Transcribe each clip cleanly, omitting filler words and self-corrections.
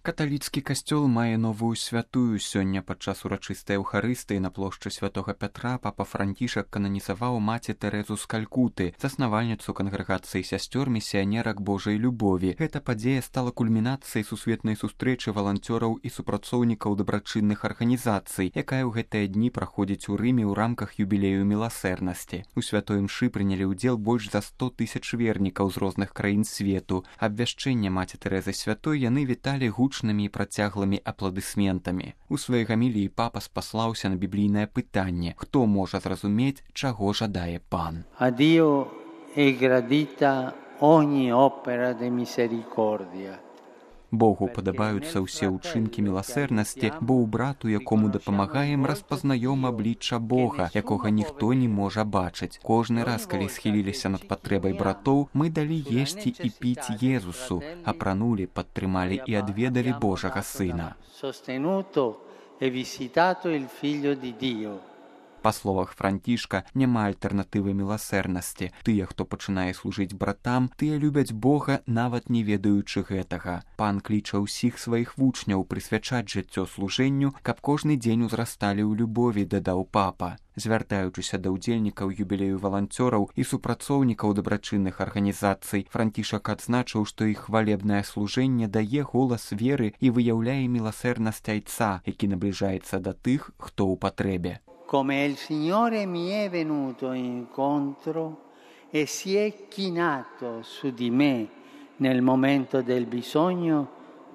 Каталіцкі касцёл мае новую святую. Сёння падчас урачыстай эўхарыстыі на плошчы святога Пятра папа Францішак кананізаваў маці Тэрэзу з Калькуты, заснавальніцу кангрэгацыі сясцёр місіянерак Божай любові. Гэта падзея стала кульмінацыяй сусветнай сустрэчы валанцёраў і супрацоўнікаў дабрачынных арганізацый, якая ў гэтыя дні праходзіць у Рыме ў рамках юбілею міласэрнасці. У святой імшы прынялі ўдзел больш за 100 000 вернікаў з розных краін свету. Абвяшчэнне маці Тэрэзы святой яны віталі гучнымі і працяглымі апладысментамі. У сваёй гаміліі папа спаслаўся на біблійнае пытанне: хто можа зразумець, чаго жадае пан? A Dio è gradita ogni opera di misericordia. Богу падабаюцца ўсе ўчынкі міласэрнасці, бо ў брату, якому дапамагаем, распазнаём аблічча Бога, якога ніхто не можа бачыць. Кожны раз, калі схіліліся над патрэбай братоў, мы далі есці і піць Езусу, апранулі, падтрымалі і адведалі Божага Сына. Па словах Францішка, няма альтэрнатывы міласэрнасці. Тыя, хто пачынае служыць братам, тыя любяць Бога, нават не ведаючы гэтага. Пан кліча ўсіх сваіх вучняў прысвячаць жыццё служэнню, каб кожны дзень узрасталі ў любові, дадаў папа. Звяртаючыся да ўдзельнікаў юбілею валанцёраў і супрацоўнікаў дабрачынных арганізацый, Францішак адзначыў, што іх хвалебнае служэнне дае голас веры і выяўляе міласэрнасць Айца, які набліжаецца да тых, хто ў патрэбе. Come il Signore mi è venuto incontro e si è chinato su di me nel momento del bisogno,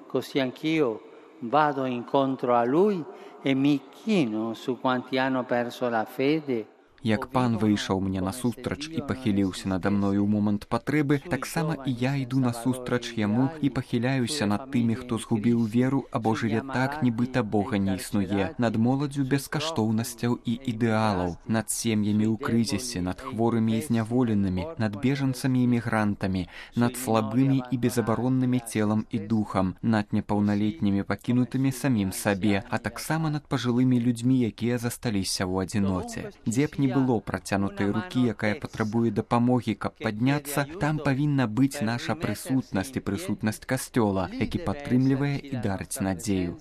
così anch'io vado incontro a Lui e mi chino su quanti hanno perso la fede. Як пан выйшаў мне насустрач і пахіліўся нада мною ў момант патрэбы, таксама і я іду насустрач яму і пахіляюся над тымі, хто згубіў веру або жыве так, нібыта Бога не існуе, над моладдзю бескаштоўнасцяў і ідэалаў, над сем'ямі ў крызісе, над хворымі і зняволенымі, над бежанцамі і мігрантамі, над слабымі і безабароннымі целам і духам, над непаўналетнімі пакінутымі самім сабе, а таксама над пажылымі людзьмі, якія засталіся ў адзіноце. Дзе б не было працянутай рукі, якая патрабуе дапамогі, каб падняцца, там павінна быць наша прысутнасць і прысутнасць касцёла, які падтрымлівае і дарыць надзею.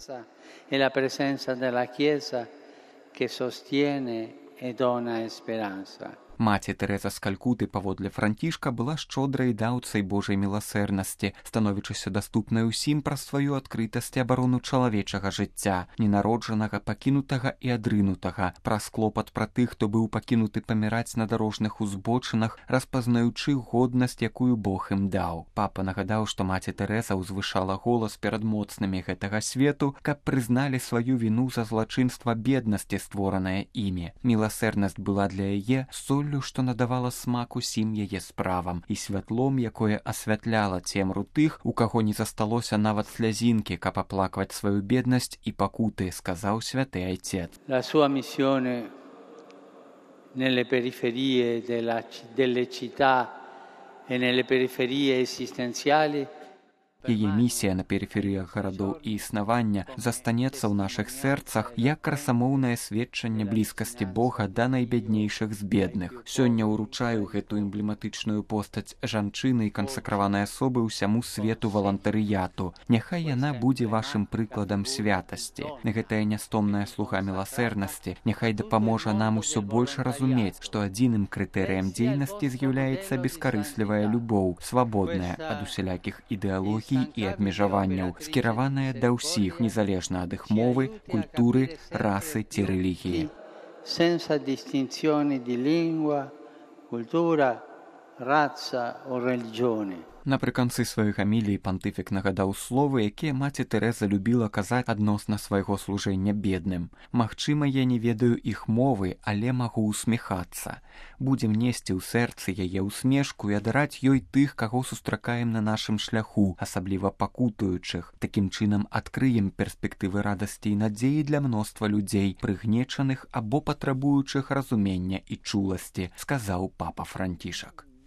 Маці Тэрэза з Калькуты, паводле Францішка, была шчодрай даўцай Божай міласэрнасці, становячыся даступнай усім праз сваю адкрытасць і абарону чалавечага жыцця, ненароджанага, пакінутага і адрынутага, праз клопат пра тых, хто быў пакінуты паміраць на дарожных узбочынах, распазнаючы годнасць, якую Бог ім даў. Папа нагадаў, што маці Тэрэза ўзвышала голас перад моцнымі гэтага свету, каб прызналі сваю віну за злачынства беднасці, створанае імі. Міласэрнасць была для яе соллю, што надавала смак усім яе справам, і святлом, якое асвятляла цемру тых, у каго не засталося нават слязінкі, каб аплакваць сваю беднасць і пакуты, сказаў святы Айцец. La sua missione nelle periferie delle città e nelle periferie esistenziali. Яе місія на перыферыях гарадоў і існавання застанецца ў нашых сэрцах як красамоўнае сведчанне блізкасці Бога да найбяднейшых з бедных. Сёння ўручаю гэту эмблематычную постаць жанчыны і кансакраванай асобы ўсяму свету валантарыяту. Няхай яна будзе вашым прыкладам святасці. Гэтая нястомная слуга міласэрнасці няхай дапаможа нам усё больш разумець, што адзіным крытэрыем дзейнасці з'яўляецца бескарыслівая любоў, свабодная ад усялякіх ідэалогій і абмежаванняў, скіраваная да ўсіх, незалежна ад іх мовы, культуры, расы ці рэлігіі. Senza distinzioni di lingua, cultura, razza o religione. Напрыканцы сваёй гаміліі пантыфік нагадаў словы, якія маці Тэрэза любіла казаць адносна свайго служэння бедным. Магчыма, я не ведаю іх мовы, але магу усміхацца. Будзем несці ў сэрцы яе ўсмешку і адараць ёй тых, каго сустракаем на нашым шляху, асабліва пакутуючых. Такім чынам адкрыем перспектывы радасці і надзеі для мноства людзей, прыгнечаных або патрабуючых разумення і чуласці, сказаў папа Францішак.